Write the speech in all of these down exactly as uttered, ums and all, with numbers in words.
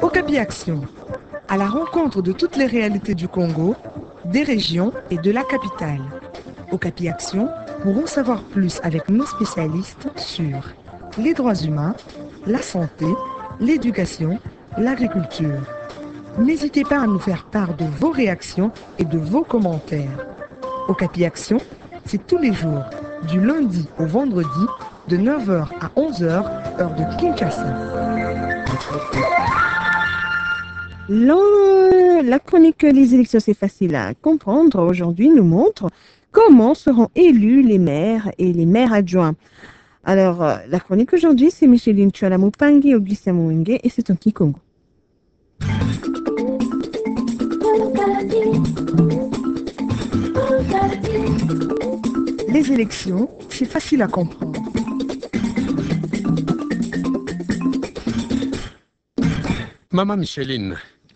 Okapi Action, à la rencontre de toutes les réalités du Congo, des régions et de la capitale. Okapi Action pour en savoir plus avec nos spécialistes sur les droits humains, la santé, l'éducation, l'agriculture. N'hésitez pas à nous faire part de vos réactions et de vos commentaires. Okapi Action, c'est tous les jours, du lundi au vendredi, de neuf heures à onze heures, heure de Kinshasa. L'an-, la chronique Les élections, c'est facile à comprendre. Aujourd'hui, nous montre comment seront élus les maires et les maires adjoints. Alors, euh, la chronique aujourd'hui, c'est Micheline Chouala Mupangi, Augustin Mouenge, et c'est en kikongo. Les élections, c'est facile à comprendre. Mama Micheline,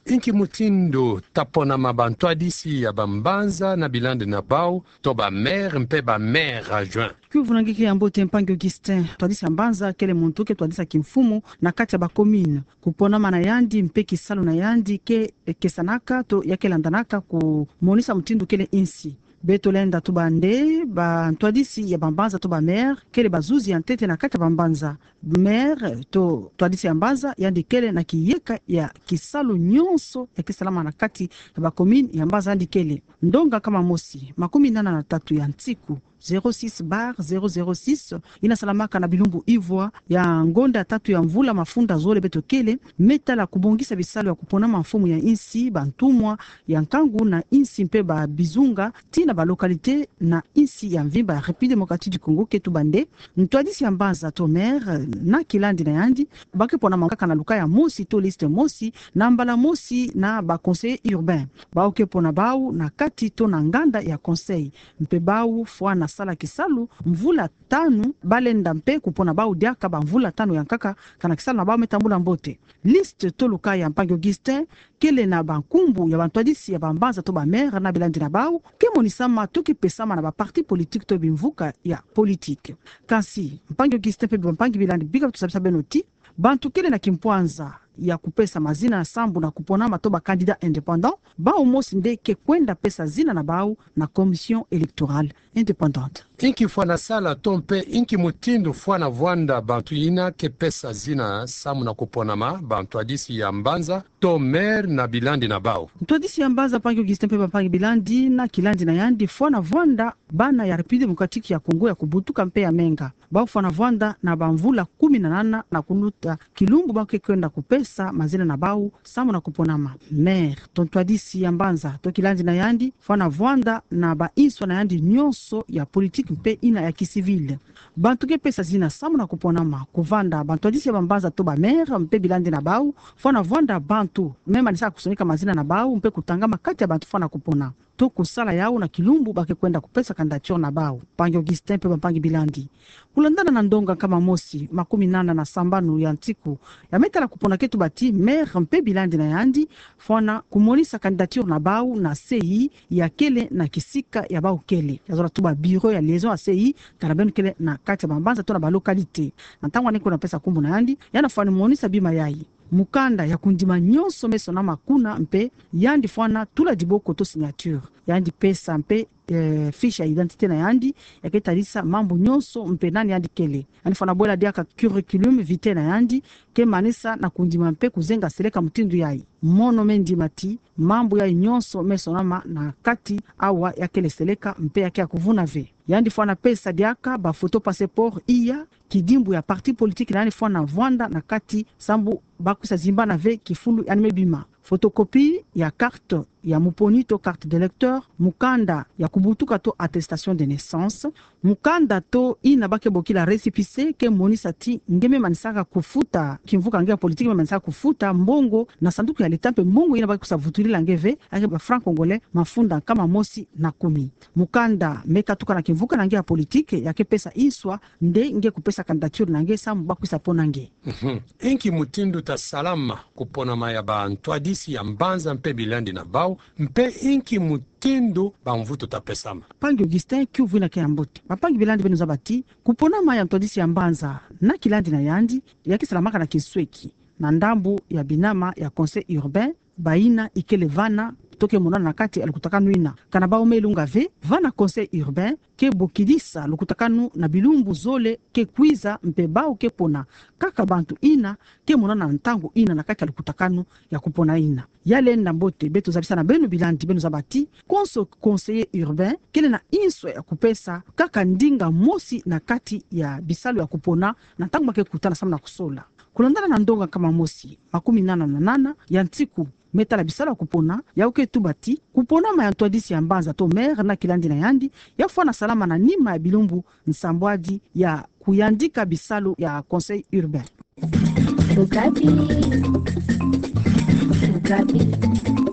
inki mutindu taponama bantwadisi ya bambanza na bilandi na bau, to ba maire mpe ba maire adjoint? Kuvuna nge ki ya mbote mpangi Augustin. Twadisi ya mbanza kele muntu ke twadisa kimfumu na kati ya ba commune. Kuponama na yandi mpe kisalu na yandi ke kesanaka to ya ke landanaka kumonisa mutindu kele insi. Beto lenda tuba nde, bantwadisi ya bambanza to ba maire kele bazuzi ya ntete na kati ya bambanza. Maire to twadisi ya mbanza, yandi kele na kiyeka ya kisalu nyonso ya ke salama na kati ya ba commune ya mbanza yandi kele. Ndonga nkama mosi, makumi nana na tatu ya nsiku, zéro six barre zéro zéro six, yina salamaka na bilumbu ivwa ya ngonda tatu ya mvula mafunda zole beto kele, me tala kubongisa bisalu ya kuponama mfumu ya insi, bantumwa ya nkangu na insi mpe babizunga, tii na ba localité na insi ya mvimba ya République Démocratique du Congo. Ke tuba nde, ntwadisi ya mbanza to maire na kilandi na yandi, ba ke ponama kaka na luka ya mosi to liste mosi, na mbala mosi na ba conseillers urbains. Bau ke pona bau na kati to na nganda ya conseil. Mpe bau fwana sala kisalu mvula tanu, ba lenda mpe kupona bau diaka bamvula tanu ya nkaka, kana kisalu na bau me tambula mbote. Liste to luka ya mpangi Augustin kele na bankumbu ya bantwadisi ya bambanza to ba maire na bilandi na bau, ke monisama to ke pesama na ba partis politiques to bimvuka ya politique. Kansi, mpangi Augustin mpe bampangi bilandi, bika tusabisa beno ti, bantu kele na kimpwanza ya kupesa mazina sambu na kuponama to ba candidats indépendants, bau mosi nde ke kwenda pesa zina na bau na Commission électorale indépendante. Inki fwana sala to mpe inki mutindu fwana vwanda bantu yina ke pesa zina sambu na kuponama bantwadisi ya mbanza to maire na bilandi na bau? Ntwadisi ya mbanza mpangi Augustin mpe bampangi bilandi na kilandi na yandi fwana vwanda bana ya République Démocratique ya Congo ya kubutuka mpe ya menga. Bau fwana vwanda na bamvula kumi na nana na kunuta kilumbu ba ke kwenda kupesa mazina na bau sambu na kuponama. Maire to ntwadisi ya mbanza to kilandi na yandi fwana vwanda na ba inswa na yandi nyonso ya politique mpe yina ya kicivil. Bantu ke pesa zina sambu na kuponama, kuvanda bantwadisi ya bambanza to ba maire mpe bilandi na bau, fwana vwanda bantu me manisaka kusonika mazina na bau mpe kutangama kati ya bantu fwana kupona to kusala yau na kilumbu ba ke kwenda kupesa candidature na bau. Mpangi Augustin mpe bampangi bilandi, kulandana na ndonga nkama mosi, makumi nana na sambanu ya nsiku ya me tala kupona, ke tuba ti maire mpe bilandi na yandi fwana kumonisa candidature na bau na C I ya kele na kisika ya bau kele. Ya zola tuba bureau ya liaison ya C I, tala beno kele na kati ya bambanza to na ba localité. Na ntangu yandi ke kwenda pesa nkumbu na yandi, yandi fwana monisa bima yai: mukanda ya kundima nyonso me sonama kuna, mpe yandi fwana tula diboko to signature. Yandi pesa mpe, eh, fiche ya identité na yandi ya ke talisa mambu nyonso mpe nani yandi kele. Yandi fwana bwela diaka curriculum vitae na yandi, ke manisa na kundima mpe kuzenga seleka mutindu yai. Mono me ndima ti mambu yai nyonso me sonama na kati awa ya kele seleka mpe ya ke ya kuvuna ve. Yandi fwana pesa diaka ba photo passeport iya, kidimbu ya parti politique na yandi fwana vwanda na kati sambu ba kwisa zimbana ve kifulu yandi me bima. Photocopie ya carte ya muponi to carte d'électeur, mukanda ya kubutuka to attestation de naissance, mukanda to yina ba ke bokila récépissé ke monisa ti nge me manisaka kufuta kimvuka nge ya politique, me manisaka kufuta mbongo na sanduku ya l'État mpe mbongo yina ba kwisa vutulila nge ve, ya ke ba francs congolais mafunda nkama mosi na kumi. Mukanda me katuka na kimvuka na nge ya politique ya ke pesa inswa nde nge kupesa candidature na nge sambu ba kwisa pona nge. Mhm. Inki mutindu tasalama kuponama ya bantwadisi ya mbanza mpe bilandi na bau, mpe inki mutindu bamvutu tapesama? Mpangi Augustin, kiuvu yina ke ya mbote. Bampangi bilandi, beno zaba ti kuponama ya ntwadisi ya mbanza na kilandi na yandi ya ke salamaka na kinsweki. na ndambu ya binama ya Conseil urbain, bayina ikele vana to ke monana na kati ya lukutakanu ina. Kana bau me ilunga ve, vana Conseil urbain ke bokidisa lukutakanu na bilumbu zole ke kwiza, mpe bau ke pona kaka bantu ina ke monana na ntangu ina na kati ya lukutakanu ya kupona ina. Ya lenda mbote, beto zabisa na beno bilandi, beno zaba ti konso conseiller urbain kele na inswa ya kupesa kaka ndinga mosi na kati ya bisalu ya kupona na ntangu ba ke kutana samu na kusola. Kulandana na ndonga nkama mosi makumi nana na nana ya ntiku me tala bisalu ya kupona, yau ke tuba ti kupona ma ya ntwadisi ya mbanza to maire na kilandi na yandi, ya fwana salama na nima ya bilumbu nsambwadi ya kuyandika bisalu ya Conseil urbain. Okapi. Okapi.